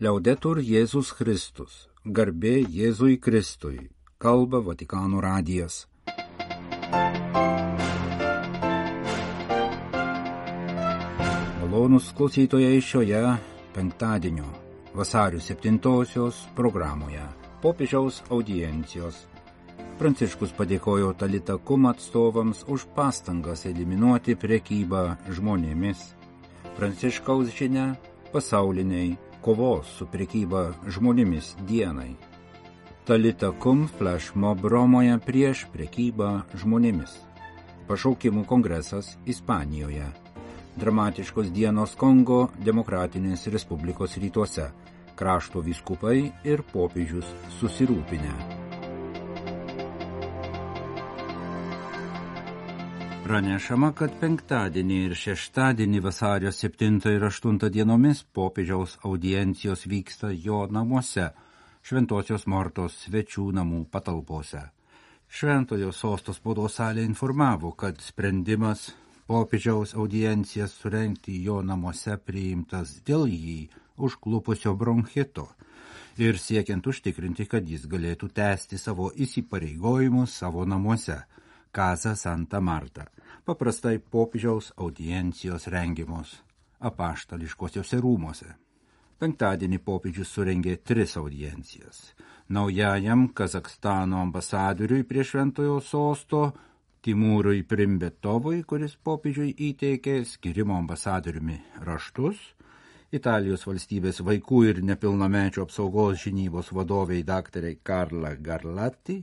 Liaudetur Jėzus Kristus, garbė Jėzui Kristui, kalba Vatikano radijas. Malonūs klausytojai šioje penktadienio vasario 7-osios programoje popiežiaus audiencijos. Pranciškus padėkojo Talita Kum atstovams už pastangas eliminuoti prekybą žmonėmis. Pranciškaus žinia pasauliniai kovos su prekyba žmonėmis dienai. Talita Kum flash mob Romoje prieš prekybą žmonėmis. Pašaukimų kongresas Ispanijoje. Dramatiškos dienos Kongo Demokratinės Respublikos rytuose. Krašto vyskupai ir popiežius susirūpinę. Pranešama, kad penktadienį ir šeštadienį vasario 7 ir 8 dienomis popiežiaus audiencijos vyksta jo namuose, Šventosios Mortos svečių namų patalpose. Šventojo sosto spaudos salė informavo, kad sprendimas popiežiaus audiencijas surengti jo namuose priimtas dėl jį užklupusio bronchito ir siekiant užtikrinti, kad jis galėtų tęsti savo įsipareigojimus savo namuose. Casa Santa Marta, paprastai popiežiaus audiencijos rengiamos apaštališkosiuose rūmuose. Penktadienį popiežius surengė 3 audiencijas. Naujajam Kazakstano ambasadoriui prie Šventojo sosto Timūrui Primbetovui, kuris popiežiui įteikė skirimo ambasadoriumi raštus, Italijos valstybės vaikų ir nepilnamečių apsaugos žinybos vadoviai daktarai Karla Garlatti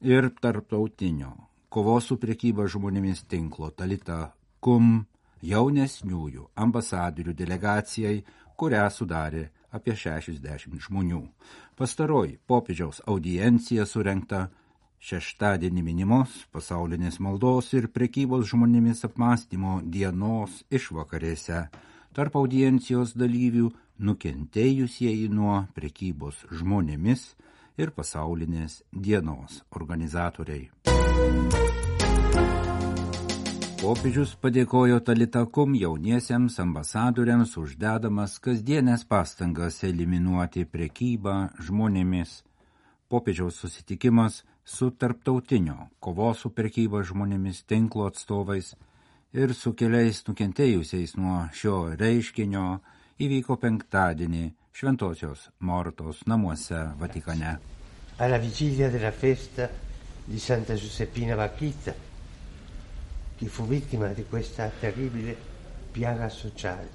ir tarptautinio kovos su prekyba žmonėmis tinklo Talita Kum jaunesniųjų ambasadorių delegacijai, kurią sudarė apie 60 žmonių. Pastaroji popiežiaus audiencija surengta šeštadienį minimos pasaulinės maldos ir prekybos žmonėmis apmąstymo dienos išvakarėse. Tarp audiencijos dalyvių nukentėjusieji nuo prekybos žmonėmis ir pasaulinės dienos organizatoriai. Popiežius padėkojo Talita Kum jauniesiems ambasadoriams uždedamas kasdienės pastangas eliminuoti prekybą žmonėmis. Popiežiaus susitikimas su tarptautinio kovos su prekyba žmonėmis tinklo atstovais ir su keliais nukentėjusiais nuo šio reiškinio įvyko penktadienį Šventosios Mortos namuose Vatikane. Alla vigilia della festa di Santa Giuseppina Bakhita, che fu vittima di questa terribile piaga sociale.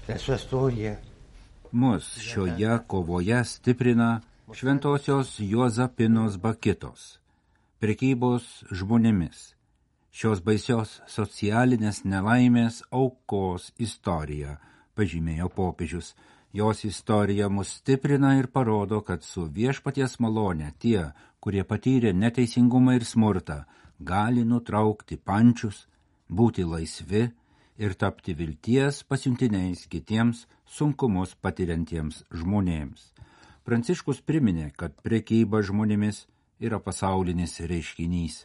La sua storia mus šioje kovoje stiprina Šventosios Juozapinos Bakhitos, prekybos žmonėmis, šios baisios socialinės nelaimės aukos istorija, pažymėjo popiežius. Jos istorija mus stiprina ir parodo, kad su viešpaties malone tie, kurie patyrė neteisingumą ir smurtą, gali nutraukti pančius, būti laisvi ir tapti vilties pasiuntiniais kitiems sunkumus patiriantiems žmonėms. Pranciškus priminė, kad prekyba žmonėmis yra pasaulinis reiškinys.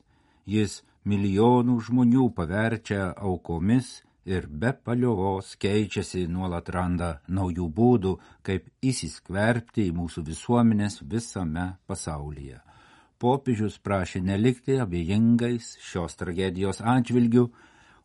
Jis milijonų žmonių paverčia aukomis ir be paliovos keičiasi, nuolat randa naujų būdų, kaip įsiskverbti į mūsų visuomenės visame pasaulyje. Popiežius prašė nelikti abejingais šios tragedijos atžvilgių,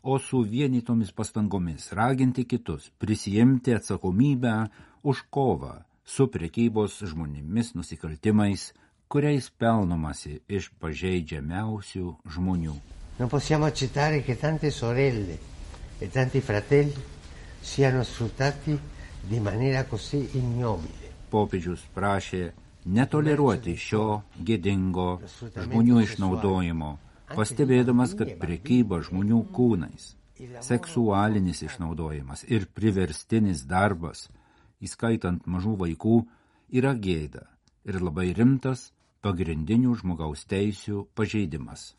o su vienytomis pastangomis raginti kitus prisijimti atsakomybę už kovą su prekybos žmonėmis nusikaltimais, kuriais pelnomasi iš pažeidžiamiausių žmonių. Non possiamo accettare che tante sorelle e tanti fratelli siano sfruttati di maniera così ignobile. Popiežius prašė netoleruoti šio gėdingo žmonių išnaudojimo, pastebėdamas, kad prekyba žmonių kūnais, seksualinis išnaudojimas ir priverstinis darbas, įskaitant mažų vaikų, yra gėda ir labai rimtas pagrindinių žmogaus teisių pažeidimas.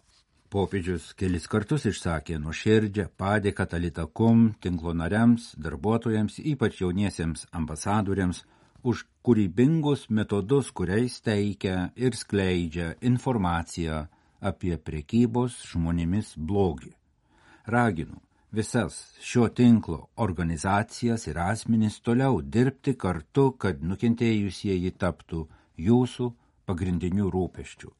Popiežius kelis kartus išsakė nuoširdžią padėką Talita Kum tinklo nariams, darbuotojams, ypač jauniesiems ambasadoriams, už kūrybingus metodus, kuriais teikia ir skleidžia informaciją apie prekybos žmonėmis blogį. Raginu visas šio tinklo organizacijas ir asmenys toliau dirbti kartu, kad nukentėjusieji taptų jūsų pagrindiniu rūpesčiu.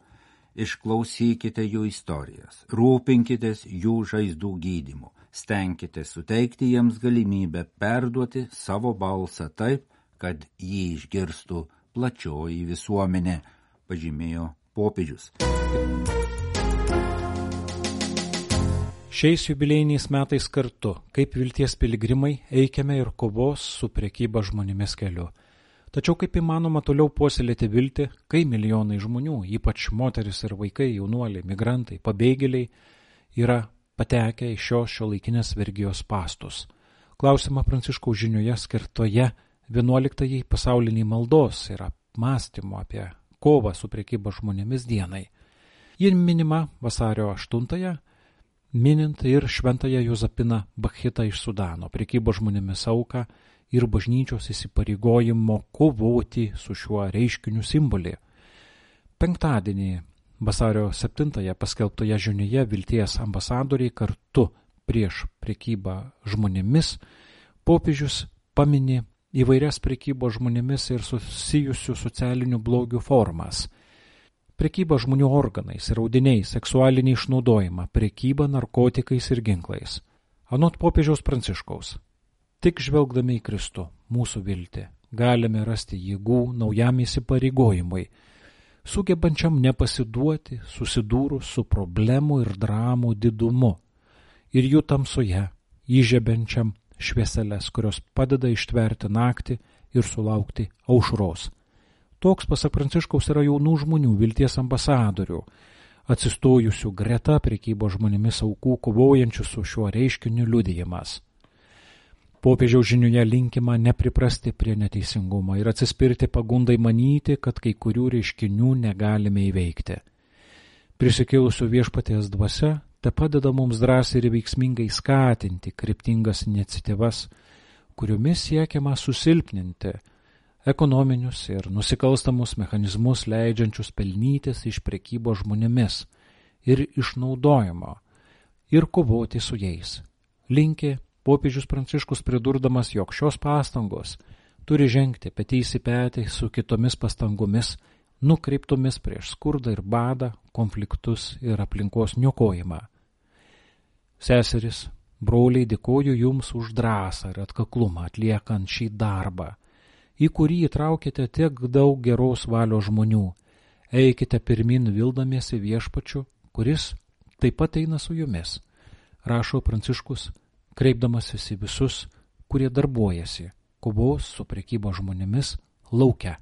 Išklausykite jų istorijas, rūpinkitės jų žaizdų gydymu, stenkitės suteikti jiems galimybę perduoti savo balsą taip, kad jį išgirstų plačioji visuomenė, pažymėjo popiežius. Šiais jubiliejiniais metais kartu, kaip vilties piligrimai, eikime ir kovos su prekyba žmonėmis keliu. Tačiau kaip įmanoma toliau puoselėti viltį, kai milijonai žmonių, ypač moteris ir vaikai, jaunuoliai, migrantai, pabėgėliai, yra patekę į šiuolaikinės vergijos spąstus. Klausimą Pranciškaus žinioje skirtoje 11 pasauliniai maldos ir apmąstymo apie kovą su prekyba žmonėmis dienai. Ji minima vasario 8-ąją, minint ir šventąją Juzapiną Bakhitą iš Sudano, prekybo žmonėmis auką ir bažnyčios įsipareigojimo kovoti su šiuo reiškiniu simbolį. Penktadienį vasario 7-ąją paskelbtoje žinioje vilties ambasadoriai kartu prieš prekybą žmonėmis popiežius pamini įvairias prekybos žmonėmis ir susijusių socialinių blogių formas. Prekyba žmonių organais ir audiniais, seksualinį išnaudojimą, prekyba narkotikais ir ginklais. Anot popiežiaus Pranciškaus, tik žvelgdami į Kristų, mūsų viltį, galime rasti jėgų naujam įsipareigojimui, sugebančiam nepasiduoti susidūrus su problemų ir dramų didumu ir jų tamsoje, įžiebiančiam švieseles, kurios padeda ištverti naktį ir sulaukti aušros. Toks, pasak Pranciškaus, yra jaunų žmonių vilties ambasadorių, atsistojusių greta prekybos žmonėmis aukų, kovojančių su šiuo reiškiniu liudijimas. Popiežiaus žinioje linkima nepriprasti prie neteisingumo ir atsispirti pagundai manyti, kad kai kurių reiškinių negalime įveikti. Prisikėlusio viešpaties dvasia te padeda mums drąsiai ir veiksmingai skatinti kryptingas iniciatyvas, kuriomis siekiama susilpninti ekonominius ir nusikalstamus mechanizmus leidžiančius pelnytis iš prekybos žmonėmis ir išnaudojimo ir kovoti su jais. Linki popiežius Pranciškus pridurdamas, jog šios pastangos turi žengti petys į petį su kitomis pastangomis, nukreiptomis prieš skurdą ir badą, konfliktus ir aplinkos niokojimą. Seseris, broliai, dėkoju jums už drąsą ir atkaklumą atliekant šį darbą, į kurį įtraukite tiek daug geros valios žmonių. Eikite pirmin vildamiesi viešpačiu, kuris taip pat eina su jumis, rašo Pranciškus, kreipdamasis į visus, kurie darbuojasi kovos su prekybo žmonėmis lauke.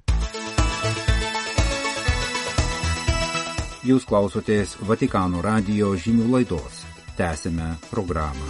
Jūs klausotės Vatikano radijo žinių laidos. Tęsime programą.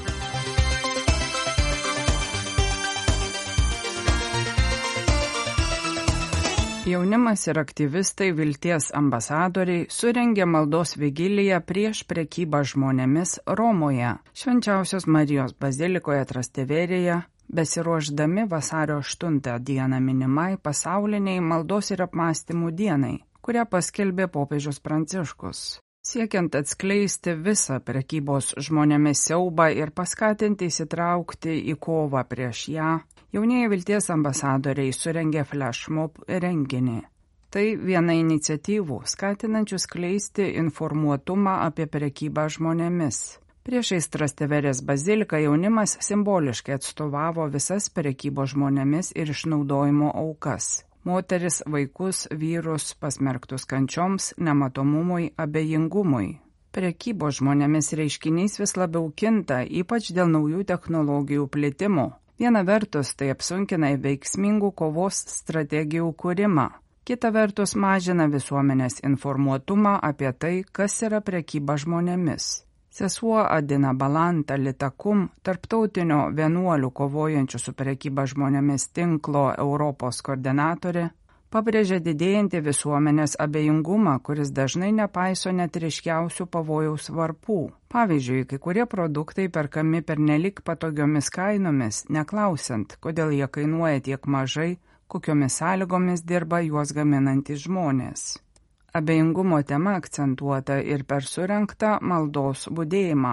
Jaunimas ir aktyvistai vilties ambasadoriai surengė maldos vigiliją prieš prekybą žmonėmis Romoje, Švenčiausios Marijos bazilikoje Trasteverėje, besiruošdami vasario 8 dieną minimai pasauliniai maldos ir apmąstymų dienai, kurią paskelbė popiežius Pranciškus. Siekiant atskleisti visą prekybos žmonėmis siaubą ir paskatinti įsitraukti į kovą prieš ją, jaunieji vilties ambasadoriai surengė flashmob renginį. Tai viena iniciatyvų, skatinančių skleisti informuotumą apie prekybą žmonėmis. Priešais Trasteverės baziliką jaunimas simboliškai atstovavo visas prekybos žmonėmis ir išnaudojimo aukas. Moteris, vaikus, vyrus pasmerktus kančioms, nematomumui, abejingumui. Prekybos žmonėmis reiškinys vis labiau kinta, ypač dėl naujų technologijų plitimo. Viena vertus tai apsunkina veiksmingų kovos strategijų kūrimą. Kita vertus mažina visuomenės informuotumą apie tai, kas yra prekyba žmonėmis. Sesuo Adina Balanta Litakum, tarptautinio vienuolių kovojančių su prekyba žmonėmis tinklo Europos koordinatorė, pabrėžė didėjantį visuomenės abejingumą, kuris dažnai nepaiso net ryškiausių pavojaus varpų. Pavyzdžiui, kai kurie produktai perkami pernelyg patogiomis kainomis, neklausiant, kodėl jie kainuoja tiek mažai, kokiomis sąlygomis dirba juos gaminantys žmonės. Abejingumo tema akcentuota ir per surengtą maldos budėjimą.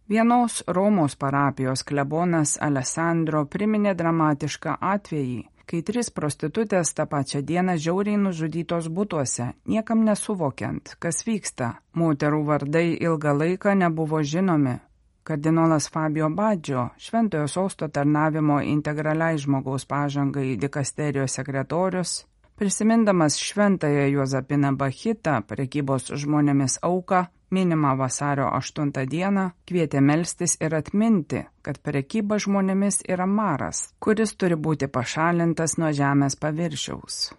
Vienos Romos parapijos klebonas Alessandro priminė dramatišką atvejį, kai 3 prostitutės tą pačią dieną žiauriai nužudytos butuose, niekam nesuvokiant, kas vyksta. Moterų vardai ilgą laiką nebuvo žinomi. Kardinolas Fabio Baggio, Šventojo Sosto tarnavimo integraliai žmogaus pažangai dikasterijos sekretorius, prisimindamas Šventąją Juozapiną Bachitą, prekybos žmonėmis auką, minimą vasario 8 dieną, kvietė melstis ir atminti, kad prekyba žmonėmis yra maras, kuris turi būti pašalintas nuo žemės paviršiaus.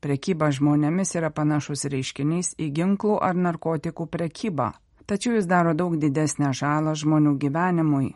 Prekyba žmonėmis yra panašus reiškinys į ginklų ar narkotikų prekybą, tačiau jis daro daug didesnę žalą žmonių gyvenimui.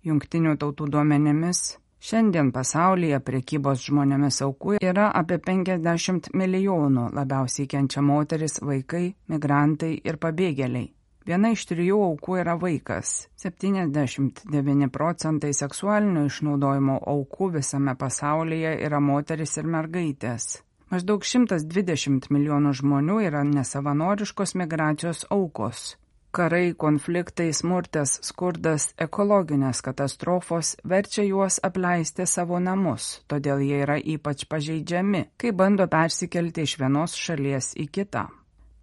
Jungtinių tautų duomenimis, šiandien pasaulyje prekybos žmonėmis aukų yra apie 50 milijonų, labiausiai kenčia moteris, vaikai, migrantai ir pabėgėliai. Viena iš 3 aukų yra vaikas. 79% seksualinio išnaudojimo aukų visame pasaulyje yra moteris ir mergaitės. Maždaug 120 milijonų žmonių yra nesavanoriškos migracijos aukos. Karai, konfliktai, smurtas, skurdas, ekologinės katastrofos verčia juos apleisti savo namus, todėl jie yra ypač pažeidžiami, kai bando persikelti iš vienos šalies į kitą.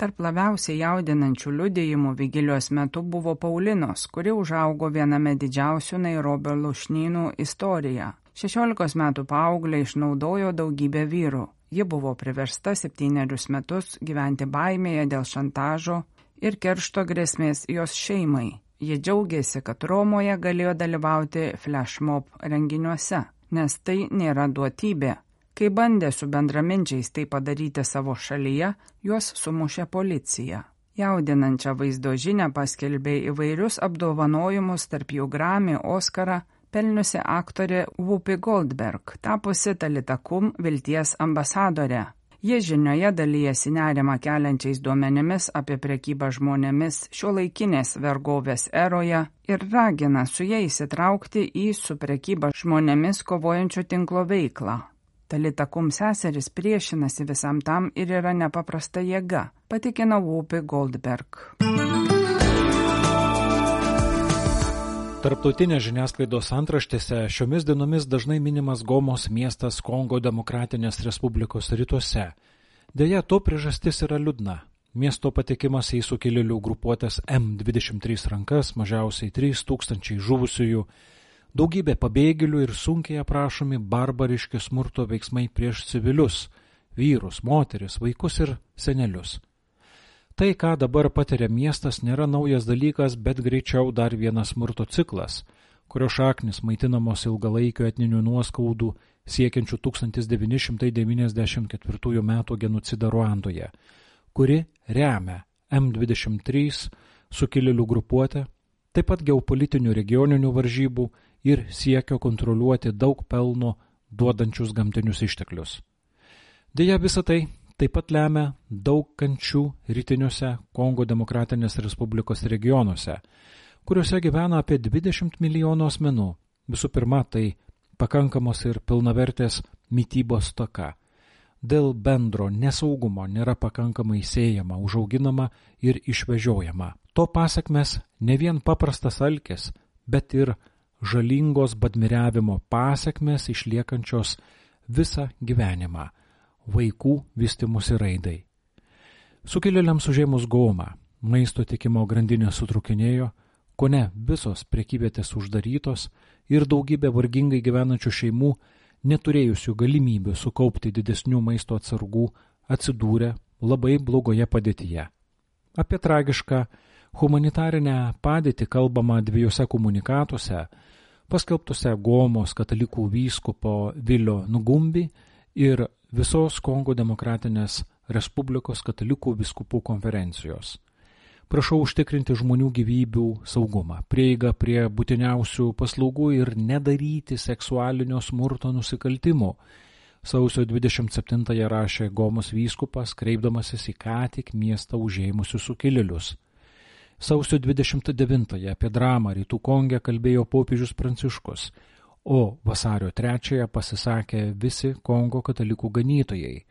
Tarp labiausiai jaudinančių liudijimų vigilijos metu buvo Paulinos, kuri užaugo viename didžiausių Nairobio lūšnynų istoriją. 16 metų paauglė išnaudojo daugybę vyrų. Ji buvo priversta 7 metus gyventi baimėje dėl šantažo ir keršto grėsmės jos šeimai. Jie džiaugiasi, kad Romoje galėjo dalyvauti flashmob renginiuose, nes tai nėra duotybė. Kai bandė su bendraminčiais tai padaryti savo šalyje, juos sumušė policija. Jaudinančią vaizdo žinią paskelbė įvairius apdovanojimus, tarp jų Grammy, Oscarą, pelniusi aktorė Whoopi Goldberg, tapusi Talita Kum vilties ambasadorė. Jie žinioje dalyjasi nerimą keliančiais duomenimis apie prekybą žmonėmis šiuolaikinės vergovės eroje ir ragina su jais įsitraukti į su prekyba žmonėmis kovojančių tinklo veiklą. Talita Kum seseris priešinasi visam tam ir yra nepaprasta jėga, patikino Whoopi Goldberg. Tarptautinės žiniasklaidos antraštėse šiomis dienomis dažnai minimas Gomos miestas Kongo Demokratinės Respublikos rytuose. Deja, to priežastis yra liūdna. Miesto patekimas į sukilėlių grupuotės M23 rankas, mažiausiai 3000 žuvusiųjų, daugybė pabėgėlių ir sunkiai aprašomi barbariški smurto veiksmai prieš civilius, vyrus, moteris, vaikus ir senelius. Tai, ką dabar patiria miestas, nėra naujas dalykas, bet greičiau dar vienas smurto ciklas, kurio šaknis maitinamos ilgalaikio etninių nuoskaudų siekiančių 1994 metų genocidą Ruandoje, kuri remia M23 sukilėlių grupuotę, taip pat geopolitinių regioninių varžybų ir siekio kontroliuoti daug pelno duodančius gamtinius išteklius. Deja, visą tai taip pat lemia daug kančių rytiniuose Kongo Demokratinės Respublikos regionuose, kuriuose gyvena apie 20 milijonų asmenų. Visų pirma, tai pakankamos ir pilnavertės mitybos stoka. Dėl bendro nesaugumo nėra pakankamai sėjama, užauginama ir išvežiojama. To pasakmes ne vien paprastas alkis, bet ir žalingos badmiriavimo pasakmes išliekančios visą gyvenimą, vaikų vystymosi raidai. Sukilėliams užėmus Gomą, maisto tiekimo grandinė sutrukinėjo, kone visos prekyvietės uždarytos ir daugybė vargingai gyvenančių šeimų, neturėjusių galimybių sukaupti didesnių maisto atsargų, atsidūrė labai blogoje padėtyje. Apie tragišką humanitarinę padėtį kalbama 2 komunikatuose, paskelbtuose Gomos katalikų vyskupo Vilio Nugumbi ir visos Kongo Demokratinės Respublikos katalikų vyskupų konferencijos. Prašau užtikrinti žmonių gyvybių saugumą, prieigą prie būtiniausių paslaugų ir nedaryti seksualinio smurto nusikaltimų. Sausio 27-ąją rašė Gomos vyskupas, kreipdamasis į ką tik miestą užėmusius sukilėlius. Sausio 29-ąją apie dramą Rytų Konge kalbėjo popiežius Pranciškus, o vasario 3-ąją pasisakė visi Kongo katalikų ganytojai,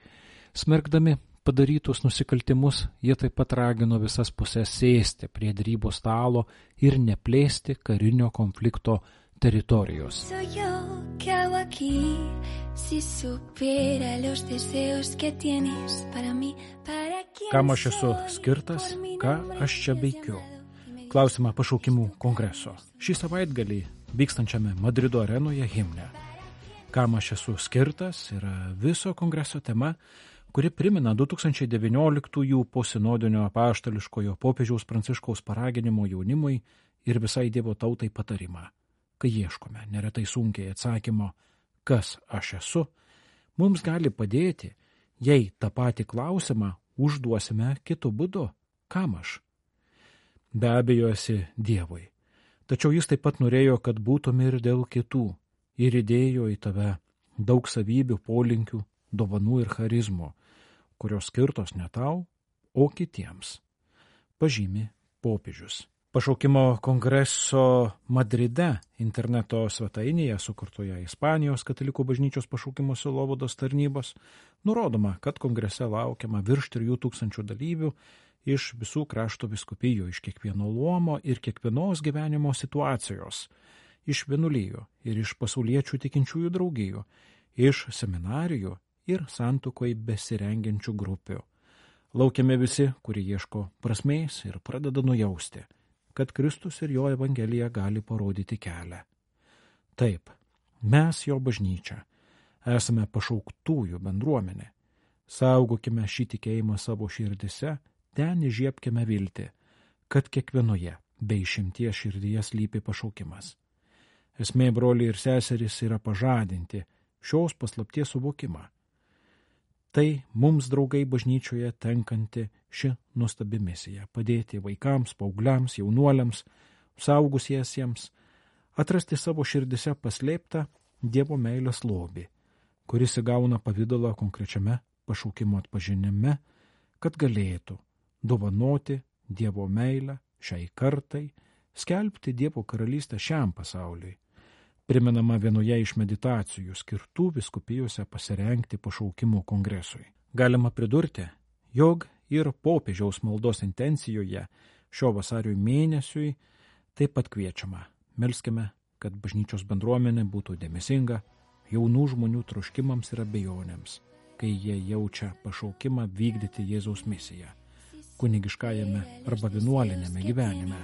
smerkdami padarytus nusikaltimus, jie taip pat ragino visas pusės sėsti prie derybų stalo ir neplėsti karinio konflikto teritorijos. Kam aš esu skirtas, ką aš čia veikiu? Klausimą pašaukimų kongreso. Šį savaitgalį vykstančiame Madrido arenoje himne. Kam aš esu skirtas yra viso kongreso tema, kuri primena 2019 posinodinio apaštališkojo popiežiaus Pranciškaus paraginimo jaunimui ir visai Dievo tautai patarimą. Kai ieškome neretai sunkiai atsakymo, kas aš esu, mums gali padėti, jei tą patį klausimą užduosime kitu būdu, kam aš. Be abejo esi Dievui, tačiau jis taip pat norėjo, kad būtum ir dėl kitų, ir įdėjo į tave daug savybių, polinkių, dovanų ir charizmų, kurios skirtos ne tau, o kitiems. Pažymi popiežius. Pašaukimo kongreso Madride interneto svetainėje sukurtoje Ispanijos katalikų bažnyčios pašaukimo sielovados tarnybos nurodoma, kad kongrese laukiama virš 3000 dalyvių iš visų krašto vyskupijų, iš kiekvieno luomo ir kiekvienos gyvenimo situacijos, iš vienuolijų ir iš pasauliečių tikinčiųjų draugijų, iš seminarijų ir santuokoj besirengiančių grupių. Laukiame visi, kurie ieško prasmės ir pradeda nujausti, kad Kristus ir jo evangelija gali parodyti kelią. Taip, mes jo bažnyčia, esame pašauktųjų bendruomenė. Saugokime šį tikėjimą savo širdise, ten įžiebkime viltį, kad kiekvienoje be išimties širdyje slypi pašaukimas. Esmė, broliai ir seserys, yra pažadinti šios paslapties suvokimą. Tai mums, draugai, bažnyčioje tenkanti ši nuostabi misija – padėti vaikams, paaugliams, jaunuoliams, saugusiesiems, atrasti savo širdise paslėptą Dievo meilės lobį, kuris įgauna pavidalą konkrečiame pašaukimo atpažinime, kad galėtų dovanoti Dievo meilę šiai kartai, skelbti Dievo karalystę šiam pasauliui. Primenama vienoje iš meditacijų skirtų vyskupijose pasirengti pašaukimų kongresui. Galima pridurti, jog ir popiežiaus maldos intencijoje šio vasario mėnesiui taip pat kviečiama. Melskime, kad bažnyčios bendruomenė būtų dėmesinga jaunų žmonių troškimams ir abejonėms, kai jie jaučia pašaukimą vykdyti Jėzaus misiją kunigiškajame arba vienuolinėme gyvenime.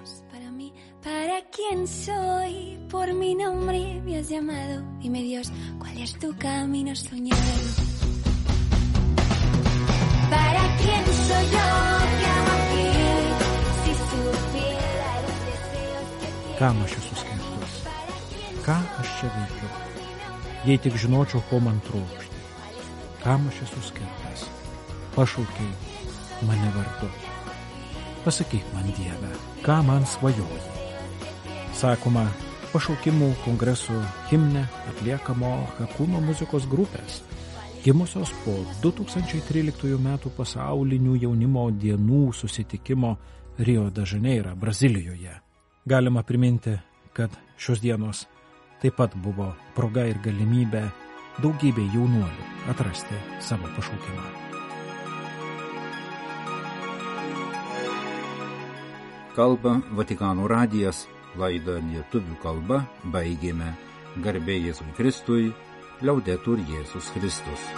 Para quién soy, por mi nombre me has llamado. Dime Dios, ¿cuál es tu camino soñado? Para quién soy yo que hago aquí, si supiera los deseos que tienes. Kam aš esu skirtas? Ką aš čia veikiu? Jei tik žinočiau, ko man trokšti. Kam aš esu skirtas? Pašaukiai mane vardu. Pasakyk man, Dieve, ką man svajoji. Sakoma, pašaukimų kongresų himne atliekamo Hakuna muzikos grupės, gimusios po 2013 metų pasaulinių jaunimo dienų susitikimo Rio de Janeiro, Brazilijoje. Galima priminti, kad šios dienos taip pat buvo proga ir galimybė daugybė jaunuolių atrasti savo pašaukimą. Kalba Vatikano radijas. Laidą lietuvių kalba baigėme. Garbė Jėzui Kristui, Liaudetur Jėzus Kristus.